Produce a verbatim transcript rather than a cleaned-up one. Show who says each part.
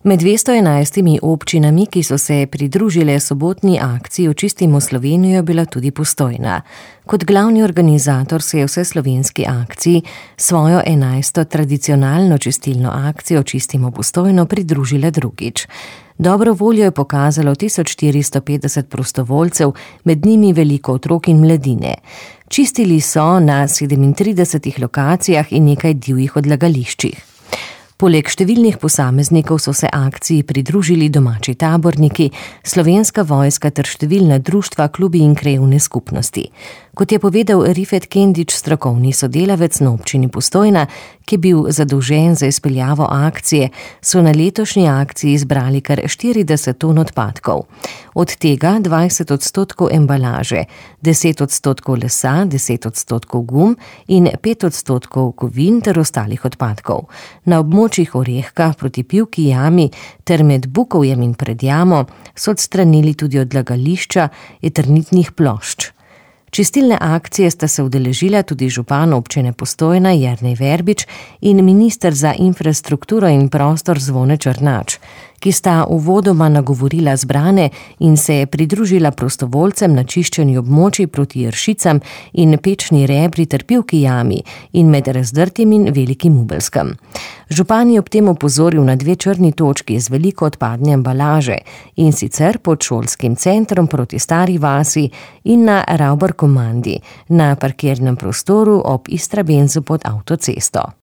Speaker 1: Med dvesto enajstimi občinami, ki so se pridružile sobotni akciji Očistimo Slovenijo, bila tudi Postojna. Kot glavni organizator se je vseslovenski akciji svojo enajsto tradicionalno čistilno akcijo Očistimo Postojno pridružila drugič. Dobro voljo je pokazalo tisoč štiristo petdeset prostovoljcev, med njimi veliko otrok in mladine. Čistili so na sedemintridesetih lokacijah in nekaj divjih odlagališčih. Poleg številnih posameznikov so se akciji pridružili domači taborniki, Slovenska vojska ter številna društva, klubi in krajevne skupnosti. Kot je povedal Rifet Kendič, strokovni sodelavec na občini Postojna, ki je bil zadolžen za izpeljavo akcije, so na letošnji akciji zbrali kar štirideset ton odpadkov. Od tega dvajset odstotkov embalaže, deset odstotkov lesa, deset odstotkov gum in pet odstotkov kovin ter ostalih odpadkov. Na območjih Orehka proti Pivki jami ter med Bukovjem in pred jamo so odstranili tudi odlagališča eternitnih plošč. Čistilne akcije sta se udeležila tudi župan občine Postojna Jernej Verbič in minister za infrastrukturo in prostor Zvone Črnač, ki sta uvodoma nagovorila zbrane in se je pridružila prostovoljcem na čiščenju območij proti Ršicam in Pečni Rebri ter Pivki jami in med Razdrtim in Velikim Ubelskem. Župan je ob tem opozoril na dve črni točki z veliko odpadne embalaže, in sicer pod šolskim centrom proti Stari vasi in na Ravbar komandi na parkirnem prostoru ob Istrabenzu pod avtocesto.